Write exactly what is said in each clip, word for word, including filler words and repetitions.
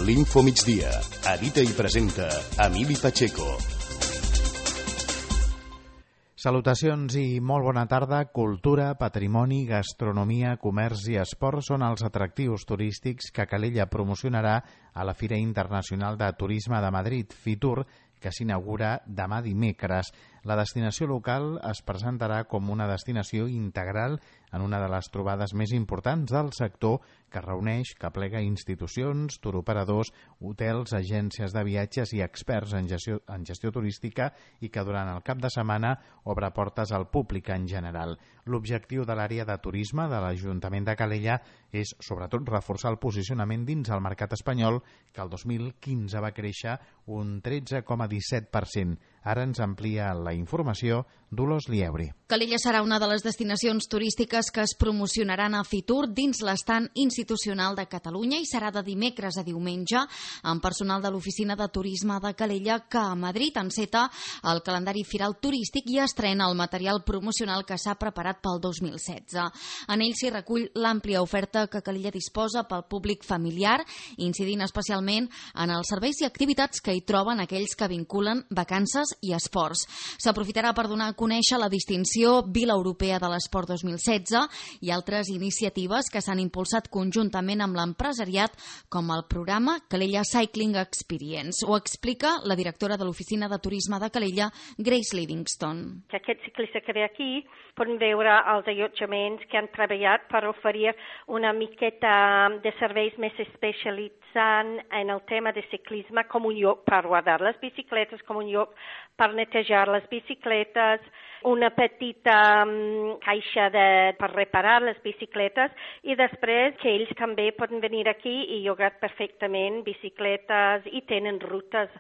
L'Info Migdia. Edita i presenta Emili Pacheco. Salutacions i molt bona tarda. Cultura, patrimoni, gastronomia, comerç i esport són els atractius turístics que Calella promocionarà a la Fira Internacional de Turisme de Madrid, Fitur, que s'inaugura demà dimecres. La destinació local es presentarà com una destinació integral en una de les trobades més importants del sector, que reuneix, que plega institucions, turoperadors, hotels, agències de viatges i experts en gestió, en gestió turística i que durant el cap de setmana obre portes al públic en general. L'objectiu de l'àrea de turisme de l'Ajuntament de Calella és sobretot reforçar el posicionament dins el mercat espanyol, que el dos mil quinze va créixer un tretze coma disset per cent. Ara ens amplia la informació Dolors Lieuri. Calella serà una de les destinacions turístiques que es promocionaran a Fitur dins l'estant institucional de Catalunya i serà de dimecres a diumenge amb personal de l'Oficina de Turisme de Calella, que a Madrid enceta el calendari firal turístic i estrena el material promocional que s'ha preparat pel dos mil setze. En ell s'hi recull l'àmplia oferta que Calella disposa pel públic familiar, incidint especialment en els serveis i activitats que hi troben aquells que vinculen vacances i esports. S'aprofitarà per donar a conèixer la distinció Vila Europea de l'Esport dos mil setze i altres iniciatives que s'han impulsat conjuntament amb l'empresariat, com el programa Calella Cycling Experience. Ho explica la directora de l'Oficina de Turisme de Calella, Grace Livingston. Que aquest ciclista que ve aquí poden veure els allotjaments que han treballat per oferir una miqueta de serveis més especialitzant en el tema de ciclisme, com un lloc per guardar les bicicletes, com un lloc per netejar les bicicletes, una petita um, caixa de, per reparar les bicicletes i després que ells també poden venir aquí i llogar perfectament bicicletes i tenen rutes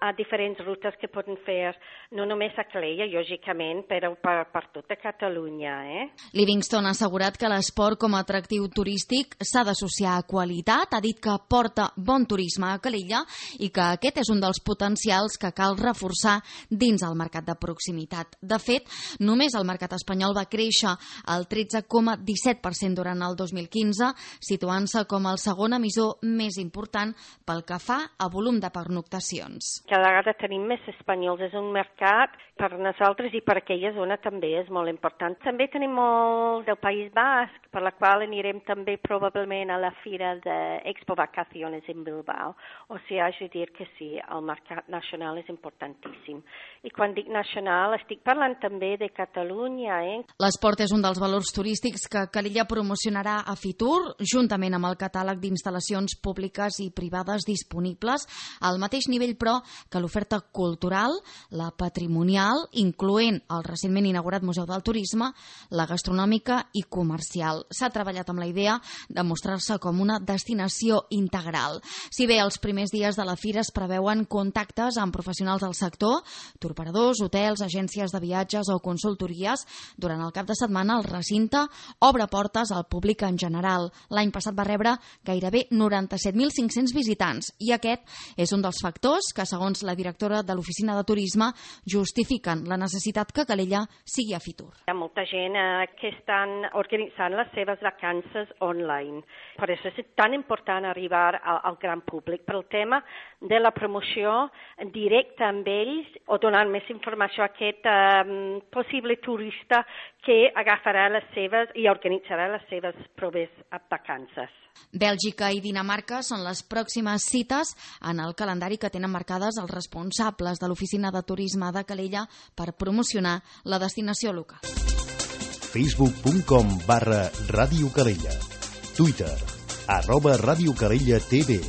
a diferents rutes que poden fer, no només a Calella, lògicament, però per, per tota Catalunya. Eh? Livingston ha assegurat que l'esport com a atractiu turístic s'ha d'associar a qualitat, ha dit que porta bon turisme a Calella i que aquest és un dels potencials que cal reforçar dins el mercat de proximitat. De fet, només el mercat espanyol va créixer el tretze coma disset per cent durant el dos mil quinze, situant-se com el segon emissor més important pel que fa a volum de pernoctacions. Cada vegada tenim més espanyols, és un mercat per nosaltres i per aquella zona també és molt important. També tenim molt del País Basc, per la qual anirem també probablement a la Fira d'Expo Vacaciones en Bilbao. O sigui, haig de dir que sí, el mercat nacional és importantíssim. I quan dic nacional estic parlant també de Catalunya. Eh? L'esport és un dels valors turístics que Calella promocionarà a Fitur, juntament amb el catàleg d'instal·lacions públiques i privades disponibles, al mateix nivell, però, que l'oferta cultural, la patrimonial, incloent el recentment inaugurat Museu del Turisme, la gastronòmica i comercial. S'ha treballat amb la idea de mostrar-se com una destinació integral. Si bé els primers dies de la fira es preveuen contactes amb professionals del sector, turoperadors, hotels, agències de viatges o consultories, durant el cap de setmana el recinte obre portes al públic en general. L'any passat va rebre gairebé noranta-set mil cinc-cents visitants i aquest és un dels factors que, segons la directora de l'Oficina de Turisme, justifiquen la necessitat que Calella sigui a Fitur. Hi ha molta gent eh, que estan organitzant les seves vacances online. Per això és tan important arribar al, al gran públic. Per el tema de la promoció directa amb ells o donar més informació a aquest eh, possible turista que agafarà les seves i organitzarà les seves proves vacances. Bèlgica i Dinamarca són les pròximes cites en el calendari que tenen marcades els responsables de l'Oficina de Turisme de Calella per promocionar la destinació local. facebook punt com barra Ràdio Calella. Twitter, arroba Ràdio Calella T V.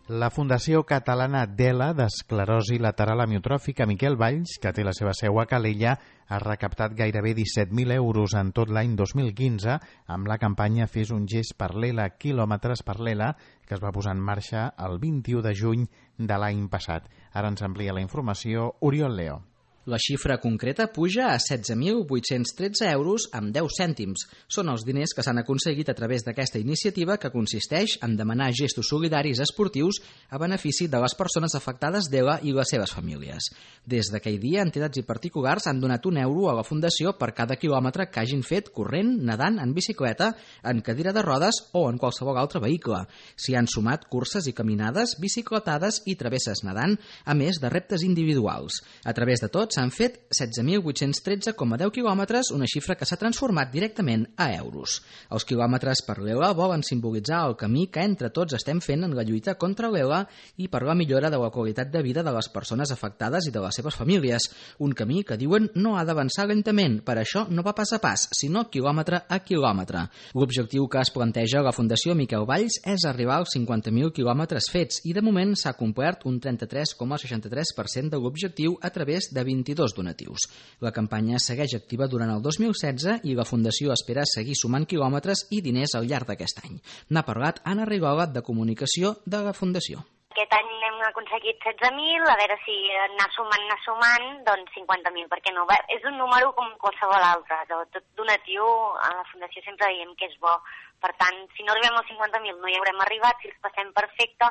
La Fundació Catalana d'ELA d'Esclerosi Lateral Amiotròfica Miquel Valls, que té la seva seu a Calella, ha recaptat gairebé disset mil euros en tot l'any dos mil quinze amb la campanya Fes un gest per l'ELA, quilòmetres per l'ELA, que es va posar en marxa el vint-i-u de juny de l'any passat. Ara ens amplia la informació Oriol Leo. La xifra concreta puja a setze mil vuit-cents tretze euros amb deu cèntims. Són els diners que s'han aconseguit a través d'aquesta iniciativa que consisteix en demanar gestos solidaris esportius a benefici de les persones afectades d'E L A i les seves famílies. Des d'aquell dia, entitats i particulars han donat un euro a la Fundació per cada quilòmetre que hagin fet corrent, nedant, en bicicleta, en cadira de rodes o en qualsevol altre vehicle. S'hi han sumat curses i caminades, bicicletades i travesses nedant, a més de reptes individuals. A través de tot s'han fet setze mil vuit-cents tretze coma deu quilòmetres, una xifra que s'ha transformat directament a euros. Els quilòmetres per l'E L A volen simbolitzar el camí que entre tots estem fent en la lluita contra l'E L A i per la millora de la qualitat de vida de les persones afectades i de les seves famílies. Un camí que diuen no ha d'avançar lentament, per això no va pas a pas, sinó quilòmetre a quilòmetre. L'objectiu que es planteja la Fundació Miquel Valls és arribar als cinquanta mil quilòmetres fets i de moment s'ha complert un trenta-tres coma seixanta-tres per cent de l'objectiu a través de vint-i-dos donatius. La campanya segueix activa durant el dos mil setze i la Fundació espera seguir sumant quilòmetres i diners al llarg d'aquest any. N'ha parlat Anna Rigola, de Comunicació de la Fundació. Aquest any hem aconseguit setze mil, a veure si anar sumant, anar sumant, doncs cinquanta mil, perquè no? És un número com qualsevol altre. Tot donatiu a la Fundació sempre diem que és bo. Per tant, si no arribem als cinquanta mil no hi haurem arribat, si els passem perfecte,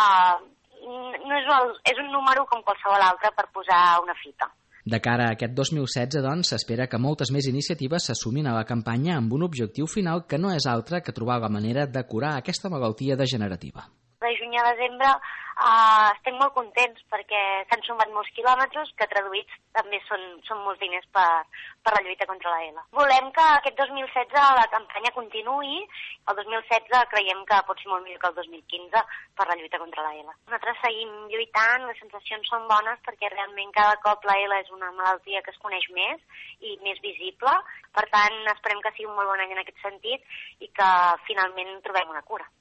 uh, no és, el, és un número com qualsevol altre per posar una fita. De cara a aquest dos mil setze, doncs, s'espera que moltes més iniciatives s'assumin a la campanya amb un objectiu final que no és altre que trobar la manera de curar aquesta malaltia degenerativa. De juny a desembre uh, estem molt contents perquè s'han sumat molts quilòmetres que traduïts també són, són molts diners per, per la lluita contra la E L A. Volem que aquest dos mil setze la campanya continuï. El dos mil setze creiem que pot ser molt millor que el dos mil quinze per la lluita contra la E L A. Nosaltres seguim lluitant, les sensacions són bones perquè realment cada cop la E L A és una malaltia que es coneix més i més visible. Per tant, esperem que sigui un molt bon any en aquest sentit i que finalment trobem una cura.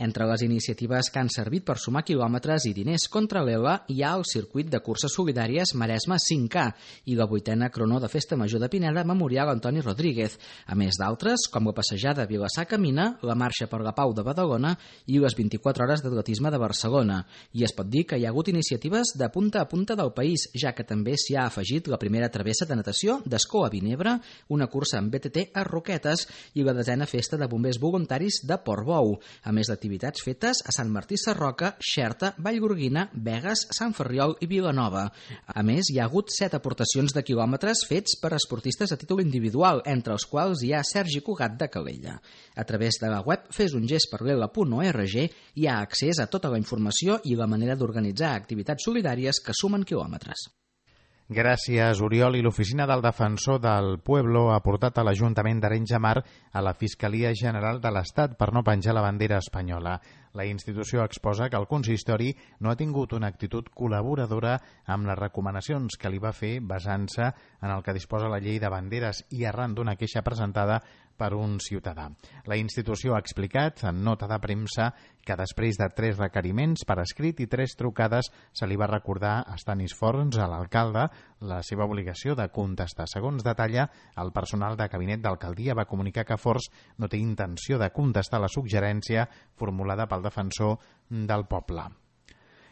Entre les iniciatives que han servit per sumar quilòmetres i diners contra l'E L A hi ha el circuit de curses solidàries Maresme cinc K i la vuitena Crono de Festa Major de Pineda Memorial Antoni Rodríguez, a més d'altres com la passejada Vilassar Camina, la Marxa per la Pau de Badalona i les vint-i-quatre hores d'atletisme de Barcelona. I es pot dir que hi ha hagut iniciatives de punta a punta del país, ja que també s'hi ha afegit la primera travessa de natació d'Escó a Vinebre, una cursa amb B T T a Roquetes i la desena festa de bombers voluntaris de Portbou, a més d'activitats activitats fetes a Sant Martí Sarroca, Xerta, Vallgorguina, Begues, Sant Ferriol i Vilanova. A més, hi ha hagut set aportacions de quilòmetres fets per esportistes a títol individual, entre els quals hi ha Sergi Cugat de Calella. A través de la web fes un gest per l'E L A punt org hi ha accés a tota la informació i la manera d'organitzar activitats solidàries que sumen quilòmetres. Gràcies, Oriol. I l'Oficina del Defensor del Pueblo ha portat a l'Ajuntament d'Arenys de Mar a la Fiscalia General de l'Estat per no penjar la bandera espanyola. La institució exposa que el consistori no ha tingut una actitud col·laboradora amb les recomanacions que li va fer basant-se en el que disposa la llei de banderes i arran d'una queixa presentada per un ciutadà. La institució ha explicat en nota de premsa que després de tres requeriments per escrit i tres trucades se li va recordar a Stanis Forns, a l'alcalde, la seva obligació de contestar. Segons detalla, el personal de gabinet d'alcaldia va comunicar que Forns no té intenció de contestar la suggerència formulada pel defensor del poble.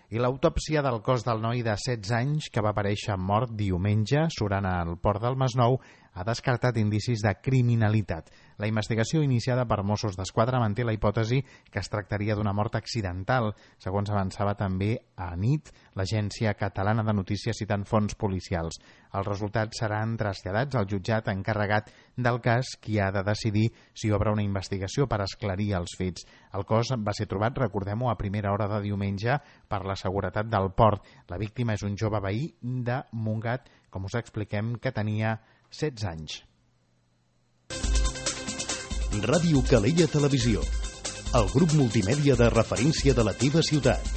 I l'autòpsia del cos del noi de setze anys que va aparèixer mort diumenge surant al port del Masnou ha descartat indicis de criminalitat. La investigació iniciada per Mossos d'Esquadra manté la hipòtesi que es tractaria d'una mort accidental, segons avançava també a nit l'Agència Catalana de Notícies citant fonts policials. Els resultats seran traslladats al jutjat encarregat del cas, qui ha de decidir si obre una investigació per esclarir els fets. El cos va ser trobat, recordem-ho, a primera hora de diumenge per la seguretat del port. La víctima és un jove veí de Montgat, com us expliquem, que tenia setze anys. Ràdio Calella Televisió, el grup multimèdia de referència de la teva ciutat.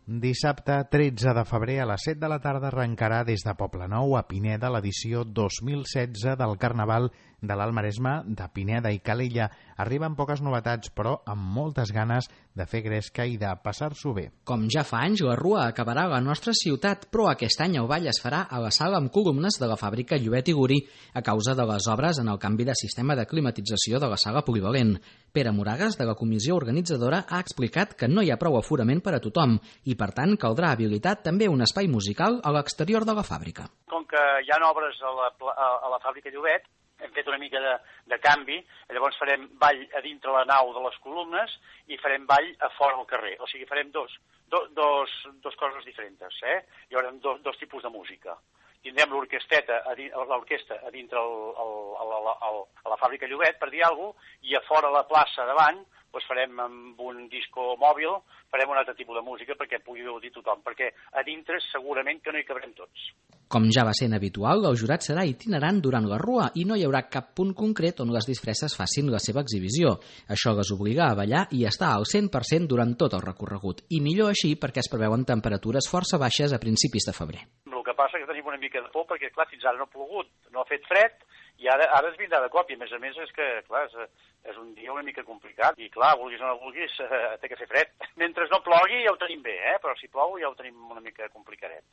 Dissabte tretze de febrer a les set de la tarda arrencarà des de Poblenou a Pineda l'edició dos mil setze del Carnaval de l'Alt Maresme de Pineda i Calella. Arriben poques novetats, però amb moltes ganes de fer gresca i de passar-s'ho bé. Com ja fa anys, la Rua acabarà a la nostra ciutat, però aquest any el ball es farà a la sala amb columnes de la fàbrica Llobet i Gurí a causa de les obres en el canvi de sistema de climatització de la sala polivalent. Pere Moragas, de la comissió organitzadora, ha explicat que no hi ha prou aforament per a tothom i, per tant, caldrà habilitar també un espai musical a l'exterior de la fàbrica. Com que hi ha obres a la, a la fàbrica Llobet, hem fet una mica de, de canvi, llavors farem ball a dintre la nau de les columnes i farem ball a fora al carrer. O sigui, farem dos, do, dos, dos coses diferents, eh? Hi haurà dos, dos tipus de música. Tindrem l'orquesteta, l'orquestra a dintre el, el, el, el, el, a la fàbrica Llobet, per dir alguna cosa, i a fora a la plaça davant doncs farem amb un disco mòbil, farem un altre tipus de música perquè pugui gaudir tothom, perquè a dintre segurament que no hi cabrem tots. Com ja va sent habitual, el jurat serà itinerant durant la Rua i no hi haurà cap punt concret on les disfresses facin la seva exhibició. Això les obliga a ballar i estar al cent per cent durant tot el recorregut. I millor així perquè es preveuen temperatures força baixes a principis de febrer. El que passa és que tenim una mica de por perquè, clar, fins ara no ha plogut, no ha fet fred, i ara, ara es vindrà de cop, i a més a més és que, clar, és, és un dia una mica complicat, i clar, vulguis o no vulguis, eh, té que fer fred. Mentre no plogui ja ho tenim bé, eh? Però si plou ja ho tenim una mica complicadet.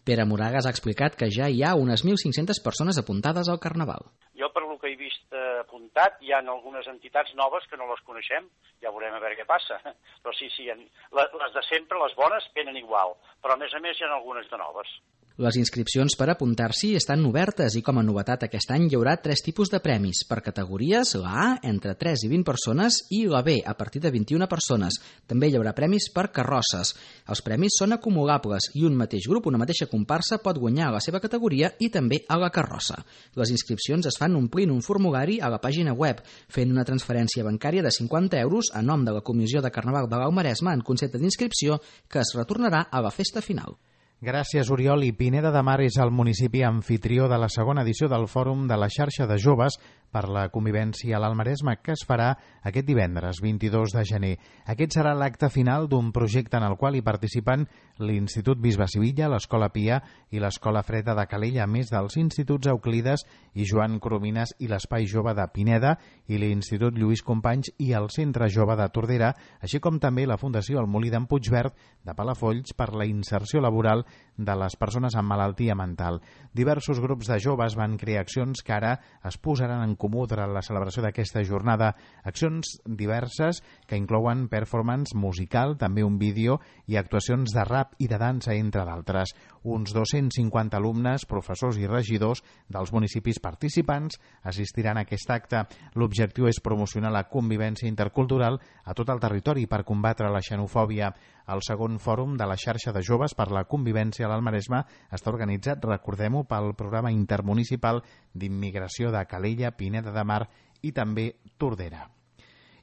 Pere Moragas ha explicat que ja hi ha unes mil cinc-centes persones apuntades al Carnaval. Jo, per lo que he vist eh, apuntat, hi ha algunes entitats noves que no les coneixem, ja veurem a veure què passa. Però sí, sí, les de sempre, les bones, venen igual, però a més a més hi ha algunes de noves. Les inscripcions per apuntar-s'hi estan obertes i com a novetat aquest any hi haurà tres tipus de premis. Per categories, la A, entre tres i vint persones, i la B, a partir de vint-i-una persones. També hi haurà premis per carrosses. Els premis són acumulables i un mateix grup, una mateixa comparsa, pot guanyar a la seva categoria i també a la carrossa. Les inscripcions es fan omplint un formulari a la pàgina web, fent una transferència bancària de cinquanta euros a nom de la Comissió de Carnaval de l'Alt Maresme en concepte d'inscripció que es retornarà a la festa final. Gràcies, Oriol. I Pineda de Mar és el municipi anfitrió de la segona edició del Fòrum de la Xarxa de Joves per la Convivència a l'Alt Maresme, que es farà aquest divendres, vint-i-dos de gener. Aquest serà l'acte final d'un projecte en el qual hi participen l'Institut Bisbe Sivilla, l'Escola Pia i l'Escola Freda de Calella, a més dels Instituts Euclides i Joan Coromines i l'Espai Jove de Pineda i l'Institut Lluís Companys i el Centre Jove de Tordera, així com també la Fundació El Molí d'en Puigverd de Palafolls per la inserció laboral de les persones amb malaltia mental. Diversos grups de joves van crear accions que ara es posaran en comú durant la celebració d'aquesta jornada. Accions diverses que inclouen performance musical, també un vídeo i actuacions de rap i de dansa, entre d'altres. Uns dos-cents cinquanta alumnes, professors i regidors dels municipis participants assistiran a aquest acte. L'objectiu és promocionar la convivència intercultural a tot el territori per combatre la xenofòbia. El segon fòrum de la xarxa de joves per la convivència a l'Alt Maresme està organitzat, recordem-ho, pel programa intermunicipal d'immigració de Calella, Pineda de Mar i també Tordera.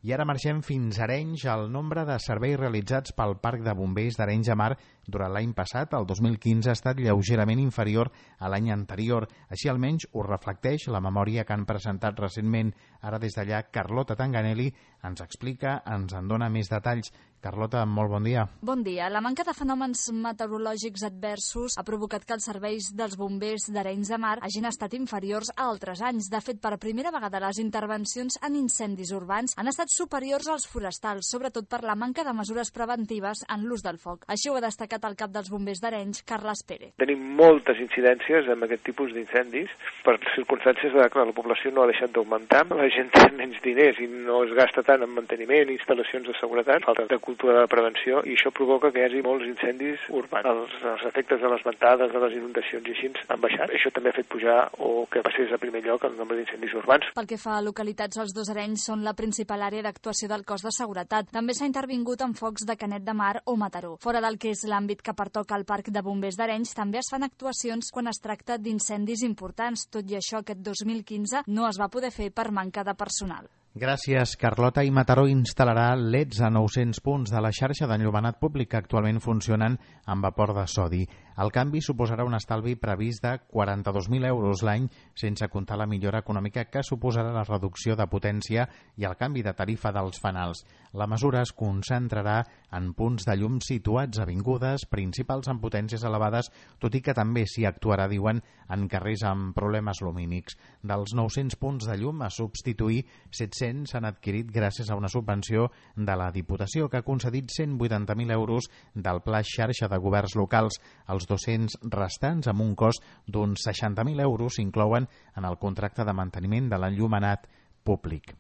I ara marxem fins a Arenys. El nombre de serveis realitzats pel Parc de Bombers d'Arenys de Mar durant l'any passat, el dos mil quinze, ha estat lleugerament inferior a l'any anterior. Així almenys ho reflecteix la memòria que han presentat recentment. Ara des d'allà, Carlota Tanganelli ens explica, ens en dona més detalls. Carlota, molt bon dia. Bon dia. La manca de fenòmens meteorològics adversos ha provocat que els serveis dels bombers d'Arenys de Mar hagin estat inferiors a altres anys. De fet, per primera vegada les intervencions en incendis urbans han estat superiors als forestals, sobretot per la manca de mesures preventives en l'ús del foc. Així ho ha destacat el cap dels bombers d'Arenys, Carles Pérez. Tenim moltes incidències amb aquest tipus d'incendis per circumstàncies de que la població no ha deixat d'augmentar, la gent té menys diners i no es gasta tant en manteniment, instal·lacions de seguretat, falta de cultura de prevenció, i això provoca que hi hagi molts incendis urbans. Els, els efectes de les ventades, de les inundacions i així han baixat. Això també ha fet pujar o que passés a primer lloc el nombre d'incendis urbans. Pel que fa a localitats, els dos Arenys són la principal àrea d'actuació del cos de seguretat. També s'ha intervingut en focs de Canet de Mar o Mataró. Fora del que és l'àmbit que pertoca al Parc de Bombers d'Arenys, també es fan actuacions quan es tracta d'incendis importants. Tot i això, aquest dos mil quinze no es va poder fer per manca de personal. Gràcies, Carlota. I Mataró instal·larà L E Ds a nou-cents punts de la xarxa d'enllumenat públic que actualment funcionen amb vapor de sodi. El canvi suposarà un estalvi previst de quaranta-dos mil euros l'any, sense comptar la millora econòmica que suposarà la reducció de potència i el canvi de tarifa dels fanals. La mesura es concentrarà en punts de llum situats a avingudes principals amb potències elevades, tot i que també s'hi actuarà, diuen, en carrers amb problemes lumínics. Dels nou-cents punts de llum a substituir, set-cents s'han adquirit gràcies a una subvenció de la Diputació que ha concedit cent vuitanta mil euros del Pla Xarxa de Governs Locals. Els dos-cents restants, amb un cost d'uns seixanta mil euros, s'inclouen en el contracte de manteniment de l'enllumenat públic.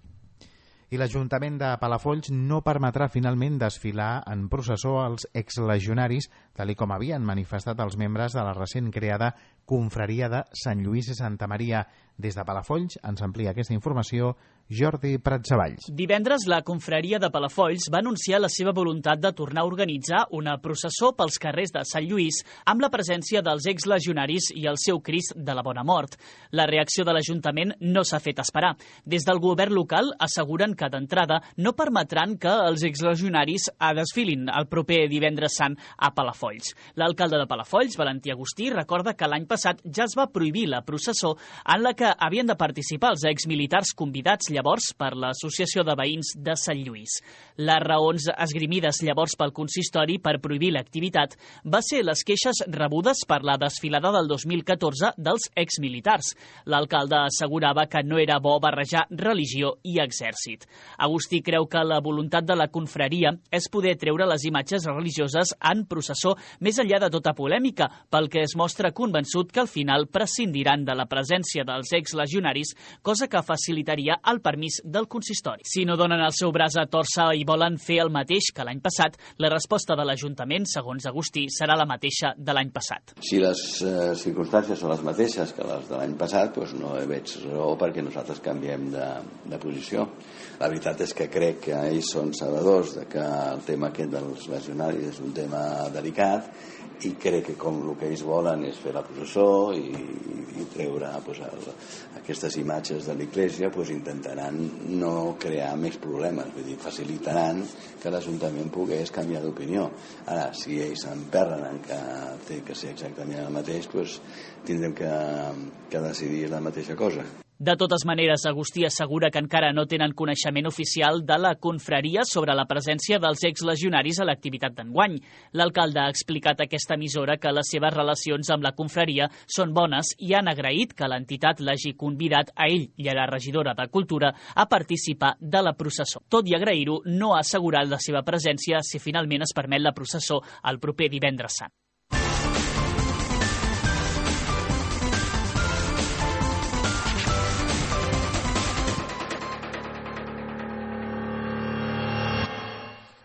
I l'Ajuntament de Palafolls no permetrà finalment desfilar en processó als exlegionaris, tal com havien manifestat els membres de la recent creada Confraria de Sant Lluís i Santa Maria. Des de Palafolls ens amplia aquesta informació Jordi Pratsavalls. Divendres, la Confraria de Palafolls va anunciar la seva voluntat de tornar a organitzar una processó pels carrers de Sant Lluís amb la presència dels exlegionaris i el seu Crist de la Bona Mort. La reacció de l'Ajuntament no s'ha fet esperar. Des del govern local asseguren que d'entrada no permetran que els exlegionaris desfilin el proper divendres sant a Palafolls. L'alcalde de Palafolls, Valentí Agustí, recorda que l'any passat ja es va prohibir la processó en la que havien de participar els exmilitars convidats llavors per l'Associació de Veïns de Sant Lluís. Les raons esgrimides llavors pel consistori per prohibir l'activitat va ser les queixes rebudes per la desfilada del dos mil catorze dels exmilitars. L'alcalde assegurava que no era bo barrejar religió i exèrcit. Agustí creu que la voluntat de la confraria és poder treure les imatges religioses en processó més enllà de tota polèmica, pel que es mostra convençut que al final prescindiran de la presència dels exlegionaris, cosa que facilitaria el permís del consistori. Si no donen el seu braç a tòrcer i volen fer el mateix que l'any passat, la resposta de l'Ajuntament, segons Agustí, serà la mateixa de l'any passat. Si les eh, circumstàncies són les mateixes que les de l'any passat, doncs no veig raó perquè nosaltres canviem de, de posició. La veritat és que crec que ells són sabedors de que el tema aquest dels legionaris és un tema delicat i crec que com el que ells volen és fer la processó i, i treure pues, el, aquestes imatges de l'Església, pues, intentaran no crear més problemes, vull dir, facilitaran que l'Ajuntament pogués canviar d'opinió. Ara, si ells s'emperren en que té que ser exactament el mateix, pues, tindrem que, que decidir la mateixa cosa. De totes maneres, Agustí assegura que encara no tenen coneixement oficial de la confraria sobre la presència dels exlegionaris a l'activitat d'enguany. L'alcalde ha explicat a aquesta emissora que les seves relacions amb la confraria són bones i han agraït que l'entitat l'hagi convidat a ell i a la regidora de Cultura a participar de la processó. Tot i agrair-ho, no ha assegurat la seva presència si finalment es permet la processó el proper divendres sant.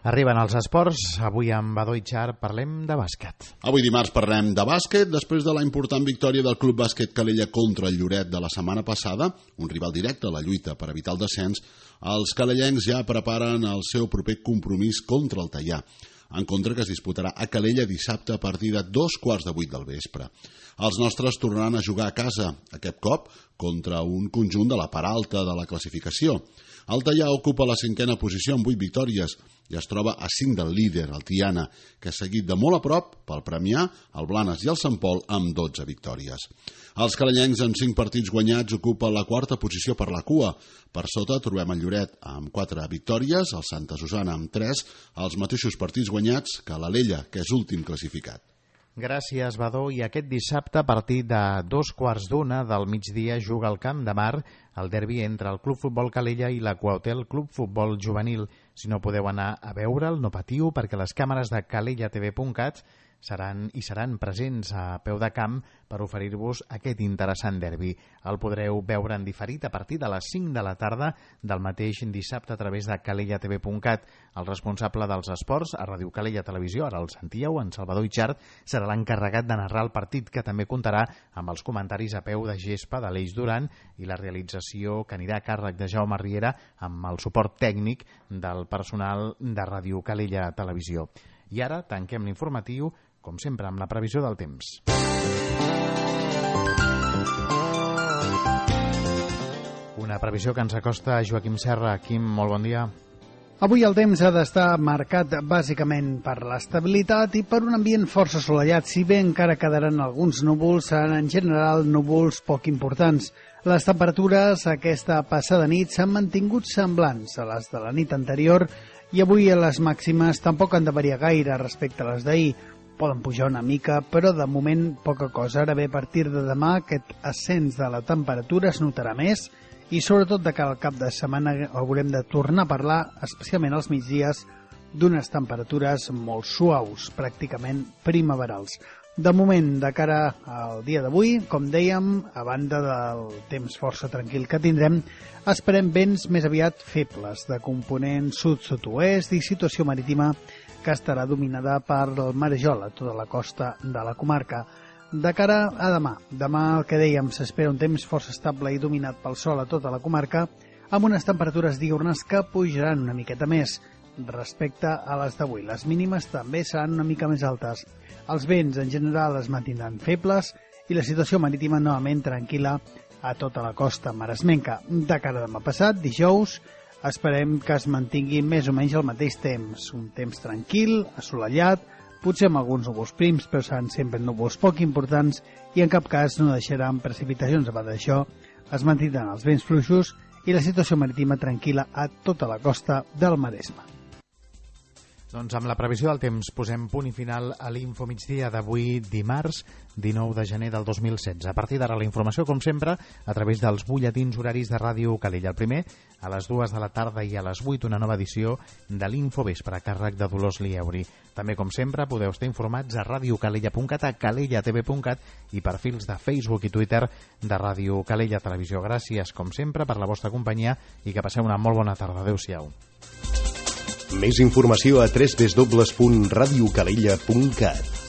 Arriben els esports. Avui amb Badó i Char parlem de bàsquet. Avui dimarts parlem de bàsquet després de la important victòria del Club Bàsquet Calella contra el Lloret de la setmana passada, un rival directe a la lluita per evitar el descens. Els calellencs ja preparen el seu proper compromís contra el Teià, en contra que es disputarà a Calella dissabte a partir de dos quarts de vuit del vespre. Els nostres tornaran a jugar a casa, aquest cop contra un conjunt de la part alta de la classificació. El Teià ocupa la cinquena posició amb vuit victòries i es troba a cinc del líder, el Tiana, que és seguit de molt a prop pel Premià, el Blanes i el Sant Pol amb dotze victòries. Els calellencs amb cinc partits guanyats ocupen la quarta posició per la cua. Per sota trobem el Lloret amb quatre victòries, el Santa Susana amb tres, els mateixos partits guanyats que l'Alella, que és últim classificat. Gràcies, Badó. I aquest dissabte, a partir de dos quarts d'una del migdia, juga al Camp de Mar el derbi entre el Club Futbol Calella i l'Aquahotel Club Futbol Juvenil. Si no podeu anar a veure'l, no patiu, perquè les càmeres de calella t v punt cat seran i seran presents a peu de camp per oferir-vos aquest interessant derbi. El podreu veure en diferit a partir de les cinc de la tarda del mateix dissabte a través de calella t v punt cat. El responsable dels esports a Ràdio Calella Televisió, ara el sentíeu, en Salvador Itxart, serà l'encarregat de narrar el partit, que també comptarà amb els comentaris a peu de gespa de l'Eix Duran i la realització que anirà a càrrec de Jaume Riera amb el suport tècnic del personal de Ràdio Calella Televisió. I ara tanquem l'informatiu, com sempre, amb la previsió del temps. Una previsió que ens acosta a Joaquim Serra. Quim, molt bon dia. Avui el temps ha d'estar marcat bàsicament per l'estabilitat i per un ambient força assolellat, si bé encara quedaran alguns núvols, seran en general núvols poc importants. Les temperatures aquesta passada nit s'han mantingut semblants a les de la nit anterior i avui les màximes tampoc han de variar gaire respecte a les d'ahir. Poden pujar una mica, però de moment poca cosa. Ara bé, a partir de demà aquest ascens de la temperatura es notarà més i sobretot de cara al cap de setmana haurem de tornar a parlar, especialment als migdies, d'unes temperatures molt suaus, pràcticament primaverals. De moment, de cara al dia d'avui, com dèiem, a banda del temps força tranquil que tindrem, esperem vents més aviat febles, de component sud-sud-oest i situació marítima que estarà dominada per el marejol a tota la costa de la comarca. De cara a demà, demà el que dèiem s'espera un temps força estable i dominat pel sol a tota la comarca, amb unes temperatures diürnes que pujaran una miqueta més respecte a les d'avui. Les mínimes també seran una mica més altes. Els vents en general es mantindran febles i la situació marítima novament tranquil·la a tota la costa maresmenca. De cara a demà passat, dijous, esperem que es mantingui més o menys el mateix temps. Un temps tranquil, assolellat, potser amb alguns núvols prims, però seran sempre núvols poc importants i en cap cas no deixaran precipitacions. A part d'això, es mantindran els vents fluixos i la situació marítima tranquil·la a tota la costa del Maresme. Doncs amb la previsió del temps posem punt i final a l'Info Migdia d'avui dimarts dinou de gener del dos mil setze. A partir d'ara la informació, com sempre, a través dels butlletins horaris de Ràdio Calella. El primer, a les dues de la tarda i a les vuit, una nova edició de l'Info Vespre, a càrrec de Dolors Lieuri. També, com sempre, podeu estar informats a radiocalella punt cat, a calella t v punt cat i perfils de Facebook i Twitter de Ràdio Calella Televisió. Gràcies, com sempre, per la vostra companyia i que passeu una molt bona tarda. Adéu-siau. Més informació a w w w punt radiocalella punt cat.